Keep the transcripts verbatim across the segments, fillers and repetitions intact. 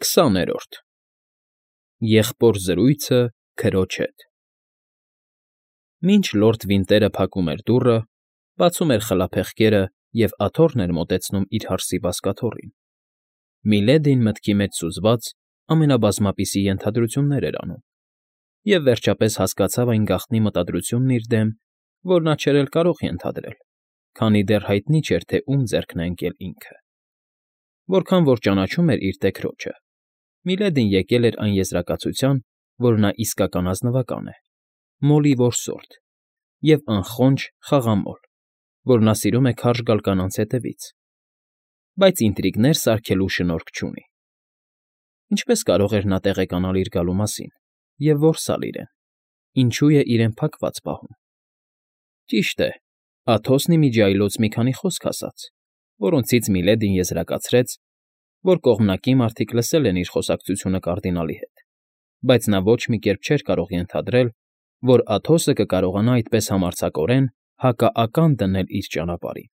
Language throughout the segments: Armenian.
Քսաներորդ Եղբոր զրույցը քրոջ հետ Մինչ լորդ Վինտերը փակում էր դուռը, բացում էր խլափեղկերը և աթոռն էր մոտեցնում իր հարսի բազկաթոռին, Միլեդին մտքի մեջ սուզված ամենաբազմապիսի ենթադրություններ էր անում և, վերջապես, հասկացավ այն գաղտնի մտադրությունն իր դեմ, որ նա չէր էլ կարող ենթադրել, քանի դեռ հայտնի չէր, թե ում ձեռքն է ընկել ինքը. որքան որ ճանաչում էր իր տեքրոջը, Միլեդին եկել էր այն եզրակացության, որ նա իսկական ազնվական է, մոլի որսորդ և անխոնջ խաղամոլ, որ նա սիրում է քարշ գալ կանանց հետևից, բայց ինտրիգներ սարքելու շնորք չունի. ինչպես կարող էր նա տեղեկանալ իր գալու մասին և որսալ իրեն, ինչու է իրեն փակված պահում. ճիշտ է, Աթոսն ի միջի այլոց մի քանի խոսք ասաց, որոնցից Միլեդին եզրակացրեց, որ կողմանկի մարդիկ լսել են իր խոսակցությունը կարդինալի հետ, բայց նա ոչ մի կերպ չէր կարող ենթադրել, որ Աթոսը կկարողանա այդպես համարձակորեն հակաական դնել իր ճանապարհին.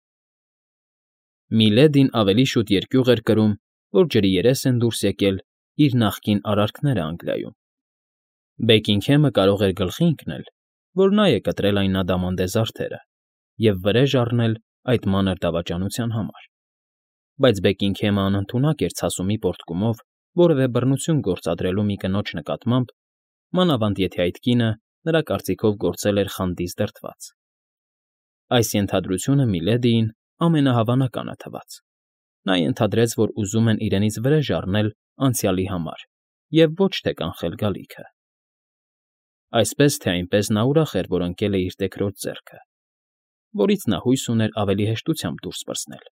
Միլեդին ավելի շուտ երկյուղ էր կրում, որ ջրի երես են դուրս եկել իր նախկին արարքները Անգլիայում. Բեքինգհեմը կարող էր գլխի ընկնել, որ նա է կտրել այն ադամանդե զարդերը և վրեժ առնել այդ մանր դավաճանության համար, բայց Բեքինգհեմը անընդունակ էր ցասումի պոռթկումով որևէ բռնություն գործադրելու մի կնոջ նկատմամբ, մանավանդ եթե այդ կինը նրա կարծիքով գործել էր խանդից դրդված. այս ենթադրությունը Միլեդիին ամենահավանականը թվաց. նա ենթադրեց, որ ուզում են իրենից վրեժ առնել անցյալի համար և ոչ թե կանխել գալիքը. Այսպես թե այնպես նա ուրախ էր, որ ընկել է իր տեքրոջ ձեռքը, որից նա հույս ուներ ավելի հեշտությամբ դուրս պրծնել,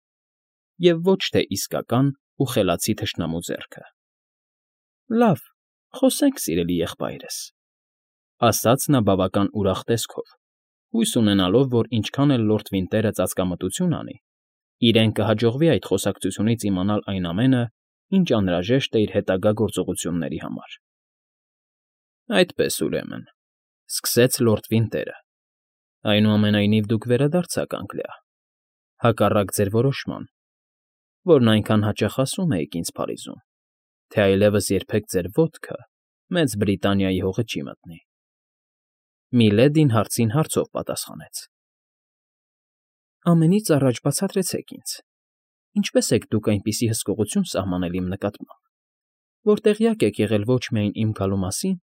և ոչ թե իսկական ու խելացի թշնամու ձեռքը։ ֊ Լավ, խոսենք, սիրելի եղբայրս,֊ ասաց նա բավական ուրախ տեսքով, հույս ունենալով, որ ինչքան էլ լորդ Վինտերը ծածկամտություն անի, իրեն կհաջողվի այդ խոսակցությունից իմանալ այն ամենը, ինչ անհրաժեշտ է իր հետագա գործողությունների համար։ ֊ Այդպես, ուրեմն,֊ սկսեց լորդ Վինտերը,֊ այնուամենայնիվ դուք վերադարձաք Անգլիա, հակառակ ձեր որոշման, որն այնքան հաճախ ասում էիք ինձ Փարիզում, թե այլևս երբեք ձեր ոտքը Մեծ Բրիտանիայի հողը չի մտնի։ Միլեդին հարցին հարցով պատասխանեց. ֊ Ամենից առաջ բացատրեցեք ինձ, ինչպե՞ս եք դուք այնպիսի հսկողություն սահմանել իմ նկատմամբ, որ տեղյակ եք եղել ոչ միայն իմ գալու մասին,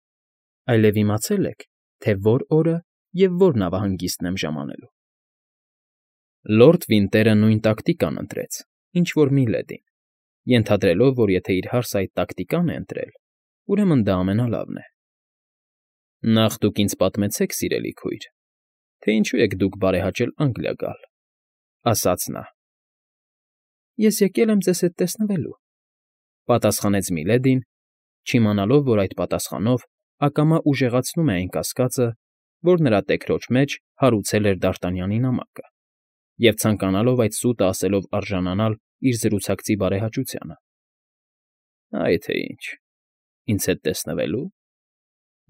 այլև իմացել եք, թե որ օրը և որ նավահանգիստն եմ ժամանելու։ Լորդ Վինտերը նույն տակտիկան ընտրեց, ինչ որ Միլեդին, ենթադրելով, որ եթե իր հարսը այդ տակտիկան է ընտրել, ուրեմն դա ամենալավն է։ ֊ Նախ դուք ինձ պատմեցեք, սիրելի քույր, թե ինչու եք դուք բարեհաճել Անգլիա գալ,֊ ասաց նա։ ֊ Ես եկել եմ ձեզ հետ տեսնվելու,֊ պատասխանեց Միլեդին, չիմանալով, որ այդ պատասխանով ակամա ուժեղացնում է այն կասկածը, որ նրա տեքրոջ մեջ հարուցել էր Դարտանյանի նամակը, և ցանկանալով այդ սուտը ասելով արժանանալ իր զրուցակցի բարեհաճությանը։ ֊ Այ թե ինչ, ինձ հետ տեսնվելու,֊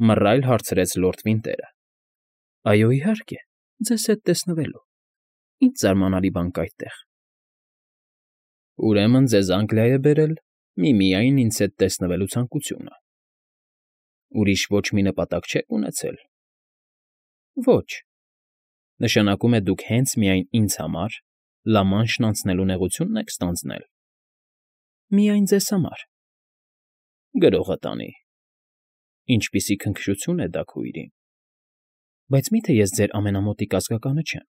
մռայլ հարցրեց լորդ Վինտերը։ ֊ Այո, իհարկե, ձեզ հետ տեսնվելու, ինչ զարմանալի բան կա այդտեղ։ ֊ Ուրեմն ձեզ Անգլիա է բերել միմիայն ինձ հետ տեսնվելու ցանկությունը, ուրիշ ոչ մի նպատակ չեք ունեցել։ ֊ Ոչ. Նշանակում է դուք հենց միայն ինձ համար Լա֊Մանշն անցնելու նեղությունն եք ստանձնել։ ֊ Միայն ձեզ համար։ ֊ Գրողը տանի։ Ինչպիսի քնքշություն է դա, քույր իմ։ ֊ Բայց մի՞թե ես ձեր ամենամոտիկ ազգականը չեմ,֊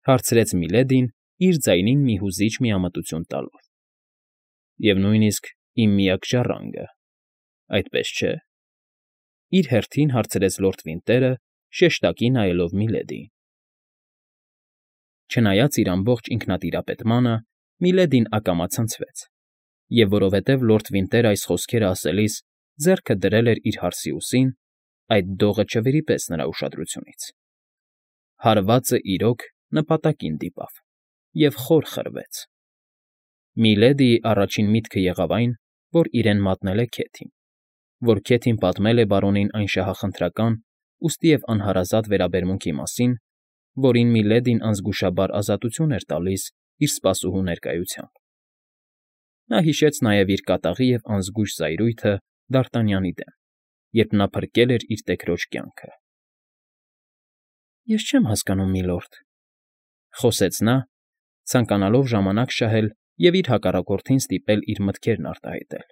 հարցրեց Միլեդին իր ձայնին մի հուզիչ միամտություն տալով։ ֊ Եվ նույնիսկ իմ միակ ժառանգը, այդպես չէ՞,֊ իր հերթին հարցրեց լորդ Վինտերը, շեշտակի նայելով Միլեդիին։ Չնայած իր ամբողջ ինքնատիրապետմանը, Միլեդին ակամա ցնցվեց, և որովհետև լորդ Վինտերը այս խոսքերը ասելիս ձեռքը դրել էր իր հարսի ուսին, այդ դողը չվրիպեց նրա ուշադրությունից. հարվածը, իրոք, նպատակին դիպավ և խոր խրվեց։ Միլեդիի առաջին միտքը եղավ այն, որ իրեն մատնել է Քեթին, որ Քեթին պատմել է բարոնին այն շահախնդրական, ուստի և անհարազատ վերաբերմունքի մասին, որին Միլեդին անզգուշաբար ազատություն էր տալիս իր սպասուհու ներկայությամբ։ Նա հիշեց նաև իր կատաղի և անզգույշ զայրույթը Դարտանյանի դեմ, երբ նա փրկել էր իր տեկրոջ կյանքը։ ֊ Ես չեմ հասկանում, միլորդ,֊ խոսեց նա, ցանկանալով ժամանակ շահել և իր հակառակորդին ստիպել իր մտքերն արտահայտել։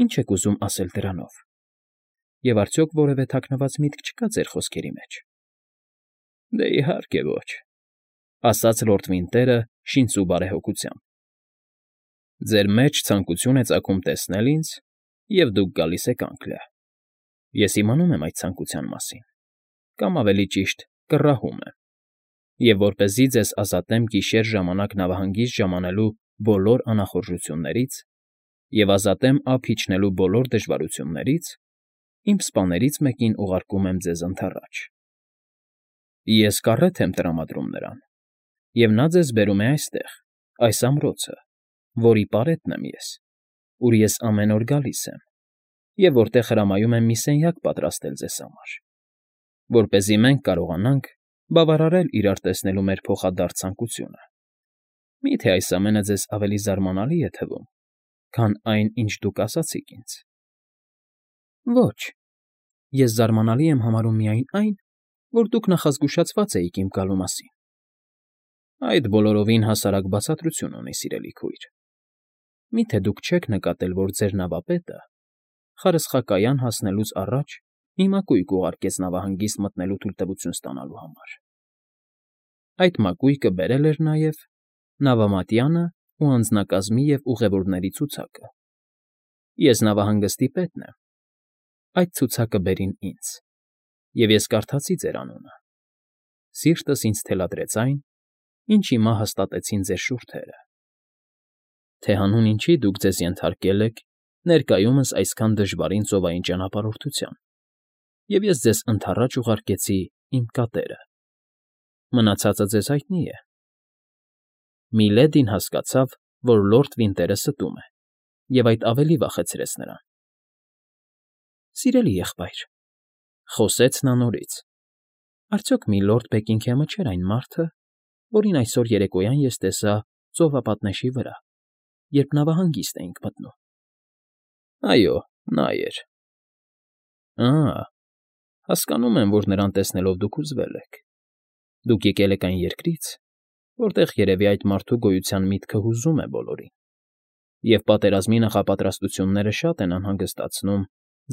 «Ի՞նչ եք ուզում ասել դրանով, և արդյոք որևէ թաքնված միտք չկա ձեր խոսքերի մեջ»։ ֊ Դե, իհարկե ոչ,֊ ասաց լորդ Վինտերը շինծու բարեհոգությամբ։ «Ձեր մեջ ցանկություն է ծագում տեսնել ինձ, և դուք գալիս եք Անգլիա։ Ես իմանում եմ այդ ցանկության մասին, կամ ավելի ճիշտ, կռահում եմ, և որպեսզի ձեզ ազատեմ գիշեր ժամանակ նավահանգիստ ժամանելու բոլոր անախորժություններից և ազատեմ ափ իջնելու բոլոր դժվարություններից, իմ սպաներից մեկին ուղարկում եմ ձեզ ընդառաջ։ Ես կառետ եմ տրամադրում նրան, և նա ձեզ բերում է այստեղ, այս ամրոցը, որի պարետն եմ ես, ուր ես ամեն օր գալիս եմ, և որտեղ հրամայում եմ մի սենյակ պատրաստել ձեզ համար, որպեսզի մենք կարողանանք բավարարել իրար տեսնելու մեր փոխադարձ ցանկությունը։ Մի՞թե այս ամենը ձեզ ավելի զարմանալի է թվում, քան այն, ինչ դուք ասացիք ինձ։ ֊ Ոչ, ես զարմանալի եմ համարում միայն այն, որ դուք նախազգուշացված էիք իմ գալու մասին։ ֊ Այդ բոլորովին հասարակ բացատրություն ունի, սիրելի քույր։ Մի՞թե դուք չեք նկատել, որ ձեր նավապետը խարսխակայան հասնելուց առաջ մի մակույկ ուղարկեց նավահանգիստ մտնելու թույլտվություն ստանալու համար։ Այդ մակույկը բերել էր նաև նավամատյանը ու անձնակազմի և ուղևորների ցուցակը։ Ես նավահանգստի պետն եմ։ Այդ ցուցակը բերին ինձ, և ես կարդացի ձեր անունը։ Սիրտս ինձ թելադրեց այն, ինչ հիմա հաստատեցին ձեր շուրթերը, թե հանուն ինչի դուք ձեզ ենթարկել եք ներկայումս այսքան դժվարին ծովային ճանապարհորդության, և ես ձեզ ընդառաջ ուղարկեցի իմ կատերը։ Մնացածը ձեզ հայտնի է։ Միլեդին հասկացավ, որ լորդ Վինտերը ստում է, և այդ ավելի վախեցրեց նրան։ ֊ Սիրելի եղբայր,֊ խոսեց նա նորից,֊ արդյոք միլորդ Բեքինգհեմը չէր այն մարդը, որին այսօր երեկոյան ես տեսա ծովապատնեշի վրա, երբ նավահանգիստ էինք մտնում։ ֊ Այո, նա էր։ ֊ Ա՜, հասկանում եմ, որ նրան տեսնելով դուք հուզվել եք։ Դուք եկել եք այն երկրից, որտեղ երևի այդ մարդու գոյության միտքը հուզում է բոլորին, և պատերազմի նախապատրաստությունները շատ են անհանգստացնում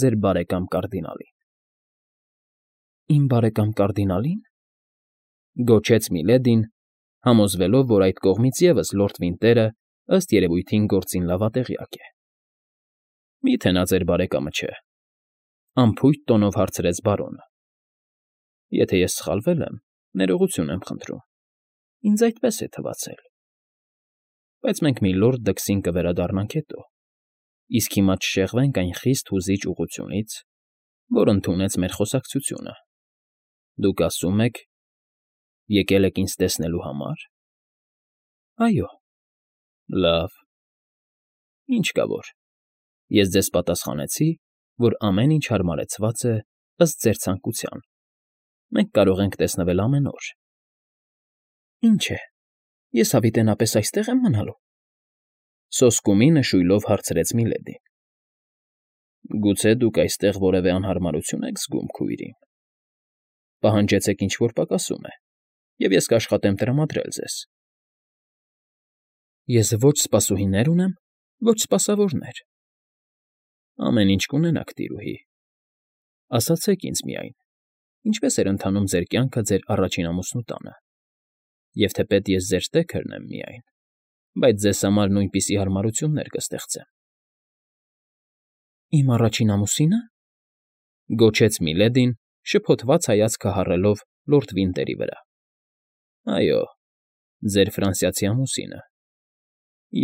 ձեր բարեկամ կարդինալին։ ֊ Իմ բարեկամ կարդինալի՞ն,֊ գոչեց Միլեդին, համոզվելով, որ այդ կողմից ևս լորդ Վինտերը, ըստ երևույթին, գործին լավատեղյակ է։ ֊ Մի՞թե նա ձեր բարեկամը չէ,֊ անփույթ տոնով հարցրեց բարոնը։ ֊ Եթե ես սխալվել եմ, ներողություն եմ խնդրում, ինձ այդպես է թվացել։ Բայց մենք միլորդ Դքսին կվերադառնանք հետո, իսկ հիմա չշեղվենք այն խիստ հուզիչ ուղղությունից, որ ընդունեց մեր խոսակցությունը։ Դուք ասում եք, եկել եք ինձ տեսնելու համար։ ֊ Այո։ ֊ Լավ։ Ինչ կա որ, ես ձեզ պատասխանեցի, որ ամեն ինչ հարմարեցված է ըստ ձեր ցանկության, մենք կարող ենք տեսնվել ամեն օր։ ֊ Ինչ է, ես հավիտենապես այստե՞ղ եմ մնալու,֊ սոսկումի նշույլով հարցրեց Միլեդին։ ֊ Գուցե դուք այստեղ որևէ անհարմարություն եք զգում, քույրիկ… Պահանջեցեք ինչ֊որ պակասում է, և ես կաշխատեմ տրամադրել ձեզ։ ֊ Ես ոչ սպասուհիներ ունեմ, ոչ սպասավորներ։ ֊ Ամեն ինչ կունենաք, տիրուհի… Ասացեք ինձ միայն, ինչպե՞ս էր ընթանում ձեր կյանքը ձեր առաջին ամուսնու տանը, և թեպետ ես ձեր տեքրն եմ միայն, բայց ձեզ համար նույնպիսի հարմարություններ կստեղծեմ։ ֊ Իմ առաջին ամուսինը,֊ գոչեց Միլեդին, շփոթված հայացքը հառելով լորդ Վինտերի վրա։ ֊ Այո, ձեր ֆրանսիացի ամուսինը…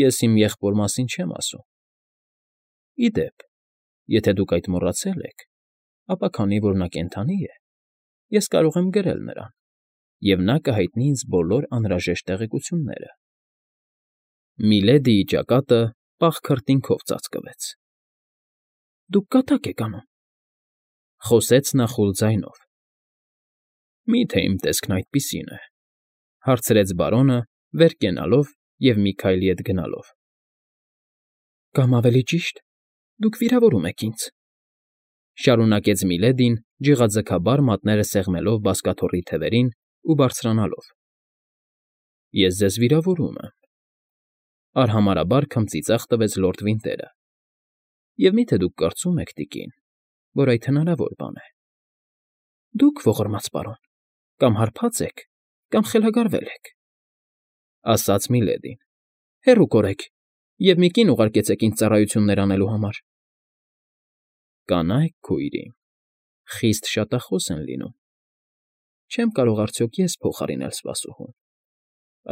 Ես իմ եղբոր մասին չեմ ասում։ Ի դեպ, եթե դուք այդ մոռացել եք, ապա քանի որ նա կենդանի է, ես կարող եմ գրել նրան, և նա կհայտնի ինձ բոլոր անհրաժեշտ տեղեկությունները։ Միլեդիի ճակատը պաղ քրտինքով ծածկվեց։ ֊ Դուք կատակ եք անում,֊ խոսեց նա խուլ ձայնով։ ֊ Մի՞թե իմ տեսքն այդպիսին է,֊ հարցրեց բարոնը, վեր կենալով և մի քայլ ետ գնալով։ Կամ ավելի ճիշտ, դուք վիրավորում եք ինձ,֊ շարունակեց Միլեդին, ջղաձգաբար մատները սեղմելով բազկաթոռի թևերին ու բարձրանալով։֊ Ես ձեզ վիրավորում եմ,֊ արհամարհաբար քմծիծաղ տվեց լորդ Վինտերը։֊ Եվ մի՞թե դուք կարծում եք, տիկին, որ այդ հնարավոր բան է։ Դուք, ողորմած պարոն, կամ հարբած եք, կամ խելագարվել եք,֊ ասաց Միլեդին։֊ Հեռու կորեք և մի կին ուղարկեցեք ինձ ծառայություններ անելու համար։ ֊ Կանայք, քույր իմ, խիստ շատախոս են լինում, չեմ կարող արդյոք ես փոխարինել սպասուհուն,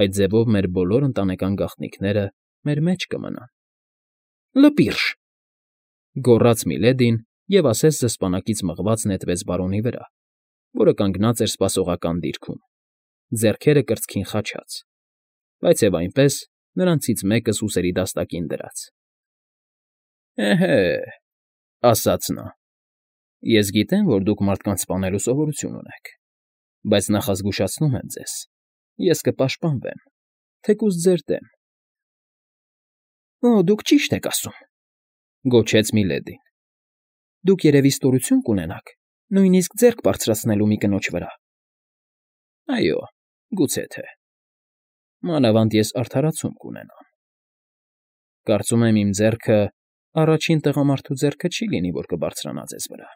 այդ ձևով մեր բոլոր ընտանեկան գաղտնիքները մեր մեջ կմնան։ ֊ Լպի՛րժ,֊ գոռաց Միլեդին և ասես զսպանակից մղված նետվեց բարոնի վրա, որը կանգնած էր սպասողական դիրքում, ձեռքերը կրծքին խաչած, բայց և այնպես նրանցից մեկը սուսերի դաստակին դրած։ ֊ Էհե,֊ ասաց նա,֊ ես գիտեմ, որ դուք մարդկանց սպանելու սովորություն ունեք, բայց նախազգուշացնում եմ ձեզ, ես կպաշտպանվեմ, թեկուզ ձեր դեմ։ ֊ Օ, դուք ճիշտ եք ասում,֊ գոչեց Միլեդին։ Դուք երևի ստորություն կունենաք նույնիսկ ձեռք բարձրացնելու մի կնոջ վրա։ ֊ Այո, գուցե թե։ Մանավանդ ես արդարացում կունենամ։ Կարծում եմ իմ ձեռքը առաջին տղամարդու ձեռքը չի լինի, որ կբարձրանա ձեզ վրա։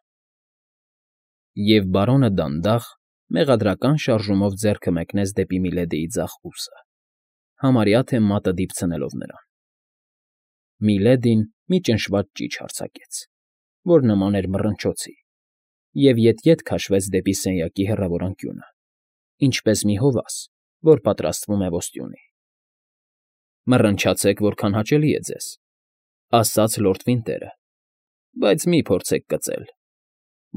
Եվ բարոնը դանդաղ, մեղադրական շարժումով ձեռքը մեկնեց դեպի Միլեդիի ձախ ուսը, համարյա թե մատը դիպցնելով նրան։ Միլեդին մի ճնշված ճիչ արձակեց, որ նման էր մռնչոցի, և ետ֊ետ քաշվեց դեպի սենյակի հեռավոր անկյունը, ինչպես մի հովաս, որ պատրաստվում է ոստյունի։ ֊ Մռնչացեք, որքան հաճելի է ձեզ,֊ ասաց լորդ Վինտերը,֊ բայց մի՛ փորձեք կծել,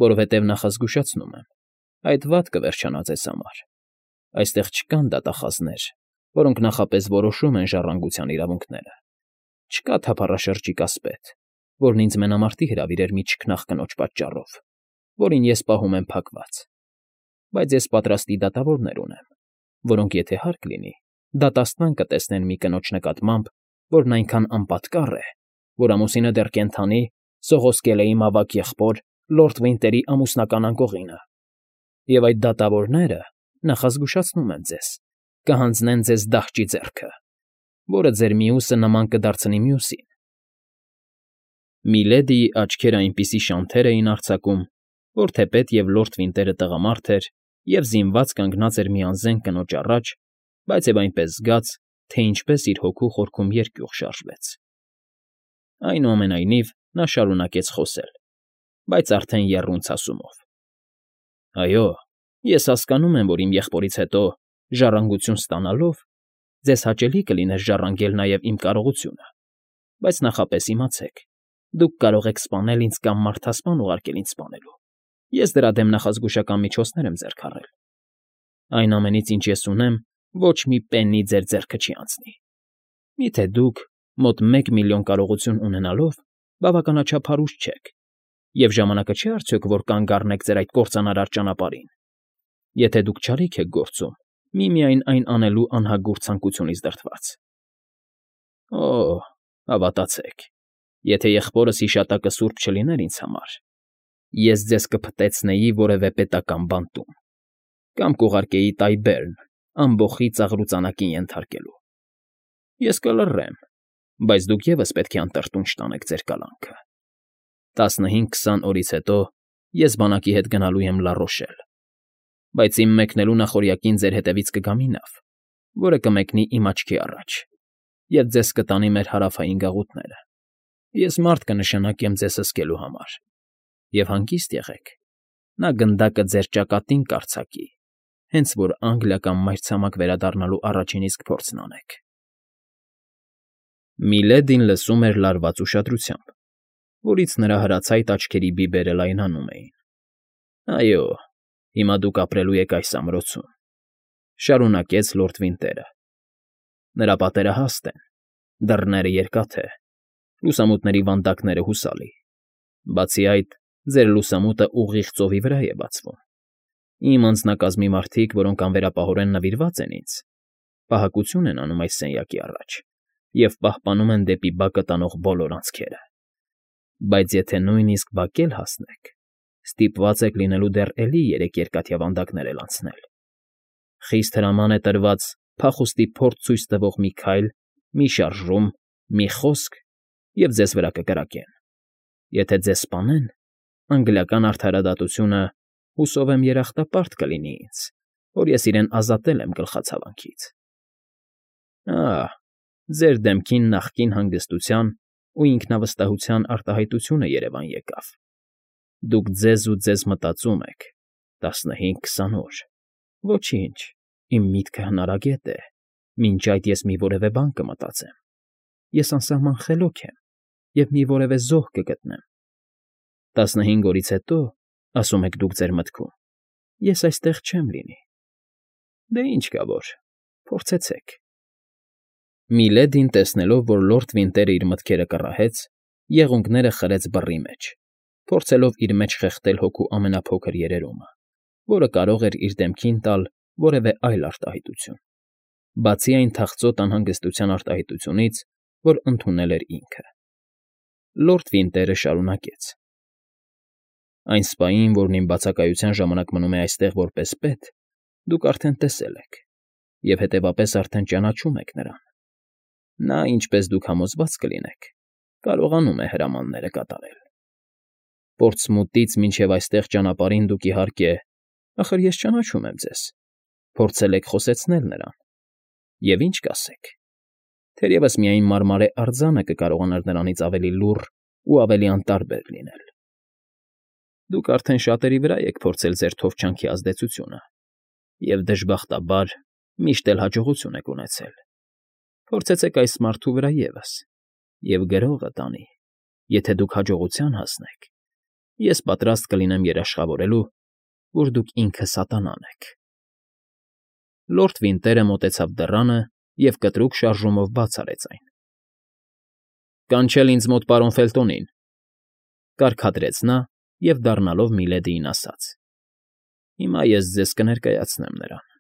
որովհետև նախազգուշացնում եմ, այդ վատ կվերջանա ձեզ համար. այստեղ չկան դատախազներ, որոնք նախապես որոշում են ժառանգության իրավունքները, չկա թափառաշրջիկ ասպետ, որն ինձ մենամարտի հրավիրեր մի չքնաղ կնոջ պատճառով, որին ես պահում եմ փակված, բայց ես պատրաստի դատավորներ ունեմ, որոնք, եթե հարկ լինի, դատաստան կտեսնեն մի կնոջ նկատմամբ, որն այնքան անպատկառ է, որ ամուսինը դեռ կենդանի սողոսկել է իմ ավագ եղբոր լորդ Վինտերի ամուսնական անկողինը, և այդ դատավորները, նախազգուշացնում եմ ձեզ, կհանձնեն ձեզ դահճի ձեռքը, որը ձեր մյուսը նման կդարձնի մյուսին։ Միլեդիի աչքերը այնպիսի շանթեր էին արձակում, որ թեպետ և լորդ Վինտերը տղամարդ էր և զինված կանգնած էր մի անզեն կնոջ առաջ, բայց և այնպես զգաց, թե ինչպես իր հոգու խորքում երկյուղ շարժվեց։ Այնուամենայնիվ նա շարունակեց խոսել, բայց արդեն եռուն ցասումով։ ֊ Այո, ես հասկանում եմ, որ իմ եղբորից հետո, ժառանգություն ստանալով, ձեզ հաճելի կլիներ ժառանգել նաև իմ կարողությունը, բայց նախապես իմացեք, դուք կարող եք սպանել ինձ կամ մարդասպան ուղարկել ինձ սպանելու, ես դրա դեմ նախազգուշական միջոցներ եմ ձեռք առել։ Այն ամենից, ինչ ես ունեմ, ոչ մի պեննի ձեր ձեռքը չի անցնի։ Մի՞թե դուք, մոտ մեկ միլիոն կարողություն ունենալով, բավականաչափ հարուստ չեք, և ժամանակը չէ՞ արդյոք, որ կանգ առնեք ձեր այդ կործանարար ճանապարհին, եթե դուք չարիք եք գործում, միմիայն այն անելու անհագուրդ ցանկությունից դրդված։ Օ՜, հավատացեք, եթե եղբորս հիշատակը սուրբ չլիներ ինձ համար, ես ձեզ կփտեցնեի որևէ պետական բանտում կամ կուղարկեի Տայբերն ամբոխի ծաղրուծանակին ենթարկելու։ Ես կլռեմ, բայց դուք ևս պետք է անտրտունջ տանեք ձեր կալանքը։ Տասնհինգ֊քսան օրից հետո ես բանակի հետ գնալու եմ Լա Ռոշել, բայց իմ մեկնելու նախօրյակին ձեր հետևից կգա մի նավ, որը կմեկնի իմ աչքի առաջ և ձեզ կտանի մեր հարավային գաղութները։ Ես մարդ կնշանակեմ ձեզ հսկելու համար, և հանգիստ եղեք, նա գնդակը ձեր ճակատին կարձակի, հենց որ Անգլիա կամ մայրցամաք վերադառնալու առաջին իսկ փորձն անեք։ Միլեդին լսում էր լարված ուշադրությամբ, որից նրա հրացայտ աչքերի բիբերը լայնանում էին։ ֊ Այո, հիմա դուք ապրելու եք այս ամրոցում,֊ շարունակեց լորդ Վինտերը։ Նրա պատերը հաստ են, դռները երկաթե, լուսամուտների վանդակները հուսալի, բացի այդ, ձեր լուսամուտը ուղիղ ծովի վրա է բացվում։ Իմ անձնակազմի մարդիկ, որոնք անվերապահորեն նվիրված են ինձ, պահակություն են անում այս սենյակի առաջ, և պահպանում են դեպի բակը տանող բոլոր անցքերը։ Բայց եթե նույնիսկ բակ էլ հասնեք, ստիպված եք լինելու դեռ էլի երեք երկաթյա վանդակներ էլ անցնել։ Խիստ հրաման է տրված փախուստի փորձ ցույց տվող մի քայլ, մի շարժում, մի խոսք, և ձեզ վրա կկրակեն։ Եթե ձեզ սպանեն, անգլիական արդարադատությունը, հուսով եմ, երախտապարտ կլինի ինձ, որ ես իրեն ազատել եմ գլխացավանքից։ Ահ, ձեր դեմքին նախկին հանգստության ու ինքնավստահության արտահայտությունը երևան եկավ։ Դուք ձեզ ու ձեզ մտածում եք. տասնհինգ քսան օր։ Ոչինչ, իմ միտքը հնարագետ է, մինչ այդ ես մի որևէ բան կմտածեմ։ Ես անսահման խելոք եմ և մի որևէ զոհ կգտնեմ։ Տասնհինգ օրից հետո, ասում եք դուք ձեր մտքում, ես այստեղ չեմ լինի։ Դե ինչ կա որ, փորձեցեք։ Միլեդին, տեսնելով, որ լորդ Վինտերը իր մտքերը կռահեց, եղունգները խրեց բռի մեջ, փորձելով իր մեջ խեղդել հոգու ամենափոքր երերումը, որը կարող էր իր դեմքին տալ որևէ այլ արտահայտություն, բացի այն թախծոտ անհանգստության արտահայտությունից, որ ընդունել էր ինքը։ Լորդ Վինտերը շարունակեց. Այն սպային, որն իմ բացակայության ժամանակ մնում է այստեղ որպես պետ, դուք արդեն տեսել եք, և հետևապես արդեն ճանաչում եք նրան։ Նա, ինչպես դուք համոզված կլինեք, կարողանում է հրամանները կատարել։ Պորտսմութից մինչև այստեղ ճանապարհին դուք, իհարկե, ախր ես ճանաչում եմ ձեզ, փորձել եք խոսեցնել նրան։ Եվ ինչ կասեք։ Թերևս միայն մարմարե արձանը կկարողանար նրանից ավելի լուռ ու ավելի անտարբեր լինել։ Դուք արդեն շատերի վրա եք փորձել ձեր թովչանքի ազդեցությունը, և դժբախտաբար միշտ էլ հաջողություն եք ունեցել։ Փորձեցեք այս մարդու վրա ևս, և գրողը տանի, եթե դուք հաջողության հասնեք, ես պատրաստ կլինեմ երաշխավորելու, որ դուք ինքը սատանան եք։ Լորդ Վինտերը մոտեցավ դռանը և կտրուկ շարժումով բաց արեց այն։ Կանչել ինձ մոտ պարոն Ֆելտոնին, կարգադրեց նա և, դառնալով Միլեդիին, ասաց. Հիմա ես ձեզ կներկայացնեմ նրան։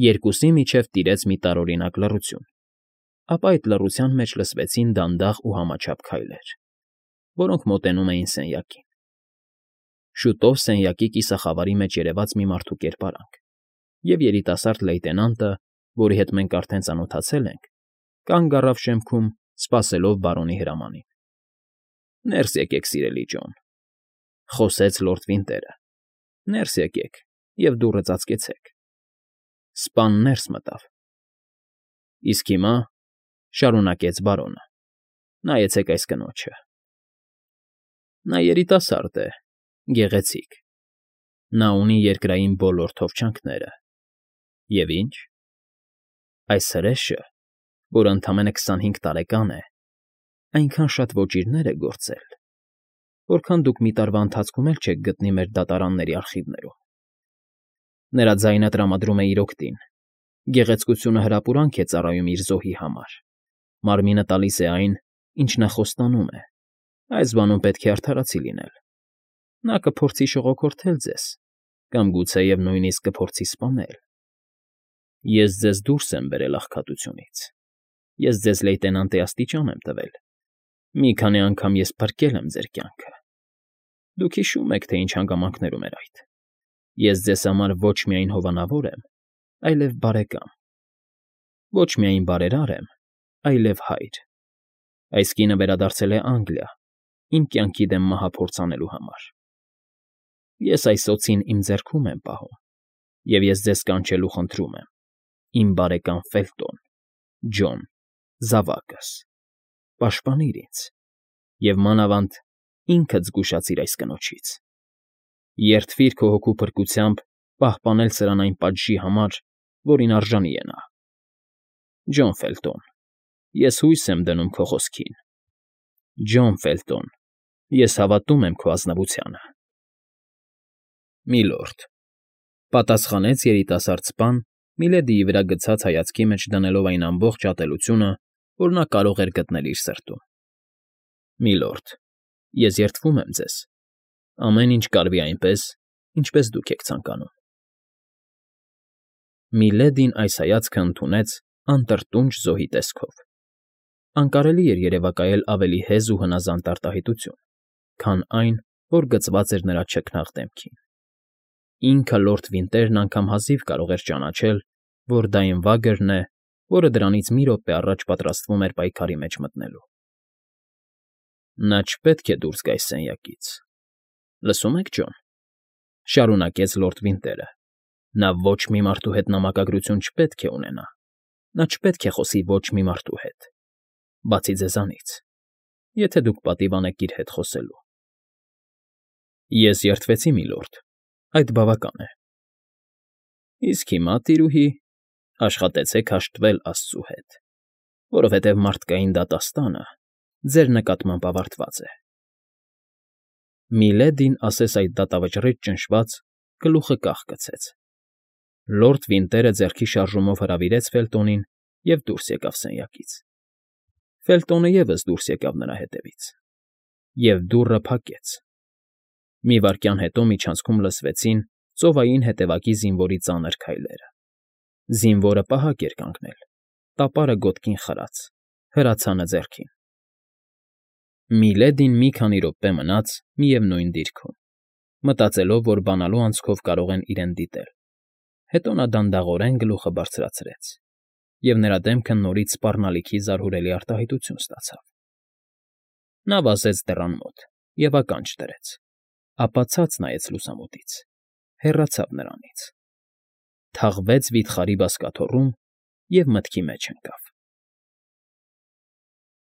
Երկուսի միջև տիրեց մի տարօրինակ լռություն, ապա այդ լռության մեջ լսվեցին դանդաղ ու համաչափ քայլեր, որոնք մոտենում էին սենյակին։ Շուտով սենյակի կիսախավարի մեջ երևաց մի մարդու կերպարանք, և երիտասարդ լեյտենանտը, որի հետ մենք արդեն ծանոթացել ենք, կանգ առավ շեմքում, սպասելով բարոնի հրամանին։ Ներս եկեք, սիրելի Ջոն,֊ խոսեց լորդ Վինտերը,֊ ներս եկեք և դուռը ծածկեցեք։ Սպան ներս մտավ։ Իսկ հիմա,֊ շարունակեց բարոնը,֊ նայեցեք այս կնոջը։ Նա երիտասարդ է, գեղեցիկ։ Նա ունի երկրային բոլոր թովչանքները։ Եվ ինչ։ Այս հրեշը, որ ընդամենը քսանհինգ տարեկան է, այնքան շատ ոճիրներ է գործել, որքան դուք մի տարվա ընթացքում էլ չեք գտնի մեր դատարանների արխիվներում։ Նրա ձայնը տրամադրում է իր օգտին, գեղեցկությունը հրապուրանք է ծառայում իր զոհի համար, մարմինը տալիս է այն, ինչ նա խոստանում է, այս բանում պետք է արդարացի լինել։ Նա կփորձի շողոքորթել ձեզ, կամ գուցեև նույնիսկ կփորձի սպանել։ Ես ձեզ դուրս եմ բերել աղքատությունից, ես ձեզ լեյտենանտի աստիճան եմ տվել, մի քանի անգամ ես փրկել եմ ձեր կյանքը։ Դուք հիշում եք, թե ինչ հանգամանքներում էր այդ։ Ես ձեզ համար ոչ միայն հովանավոր եմ, այլև բարեկամ։ Ոչ միայն բարերար եմ, այլև հայր։ Այս կինը վերադարձել է Անգլիա, իմ կյանքի դեմ մահափորձ անելու համար։ Ես այս օձին իմ ձեռքում եմ պահում, և ես ձեզ կանչելու խնդրում եմ, իմ բարեկամ Ֆելտոն, Ջոն, զավակս, պաշտպանիր ինձ, և մանավանդ ինքդ զգուշացիր այս կնոջից։ Երդվիր քո հոգու փրկությամբ պահպանել սրան այն պատժի համար, որին արժանի է նա։ Ջոն Ֆելտոն, ես հույս եմ դնում քո խոսքին։ Ջոն Ֆելտոն, ես հավատում եմ քո ազնվությանը։ Միլորդ,֊ պատասխանեց երիտասարդ սպան, Միլեդիի վրա գցած հայացքի մեջ դնելով այն ամբողջ ատելությունը, որ նա կարող էր գտնել իր սրտում։ Միլորդ, ես երդվում եմ ձեզ։ Ամեն ինչ կարվի այնպես, ինչպես դուք եք ցանկանում։ Միլեդին այս հայացքը ընդունեց անտրտունջ զոհի տեսքով։ Անկարելի էր երևակայել ավելի հեզ ու հնազանդ արտահայտություն, քան այն, որ գծված էր նրա չքնաղ դեմքին։ Ինքը լորդ Վինտերն անգամ հազիվ կարող էր ճանաչել, որ դա Էնվագրն է, որը դրանից մի րոպե առաջ պատրաստվում էր պայքարի մեջ մտնելու։ Նա չպետք է դուրս գա այս սենյակից։ Լսո՞ւմ եք, Ջոն,֊ շարունակեց լորդ Վինտերը։֊ Նա ոչ մի մարդու հետ նամակագրություն չպետք է ունենա, նա չպետք է խոսի ոչ մի մարդու հետ, բացի ձեզանից, եթե դուք պատիվ անեք իր հետ խոսելու։ Ես երդվեցի, միլորդ, այդ բավական է։ Իսկ հիմա, տիրուհի, աշխատեցեք հաշտվել աստծու հետ, որովհետև մարդկային դատաստանը ձեր նկատմամբ ավարտված է։ Միլեդին, ասես այդ դատավճռից ճնշված, գլուխը կախ գցեց։ Լորդ Վինտերը ձեռքի շարժումով հրավիրեց Ֆելտոնին և դուրս եկավ սենյակից։ Ֆելտոնը ևս դուրս եկավ նրա հետևից, և դուռը փակեց։ Մի վայրկյան հետո միջանցքում լսվեցին ծովային հետևակի զինվորի ծանր քայլերը։ Զինվորը պահակ էր կանգնել, տապարը գոտքին խրած, հրացանը ձեռքին։ Միլեդին մի քանի րոպե մնաց միևնույն դիրքում, մտածելով, որ բանալու անցքով կարող են իրեն դիտել, հետո նա դանդաղորեն գլուխը բարձրացրեց, և նրա դեմքը նորից սպառնալիքի զարհուրելի արտահայտություն ստացավ։ Նա վազեց դռան մոտ և ականջ դրեց, ապա ցած նայեց լուսամուտից, հեռացավ նրանից, թաղվեց վիթխարի բազկաթոռում և մտքի մեջ ընկավ։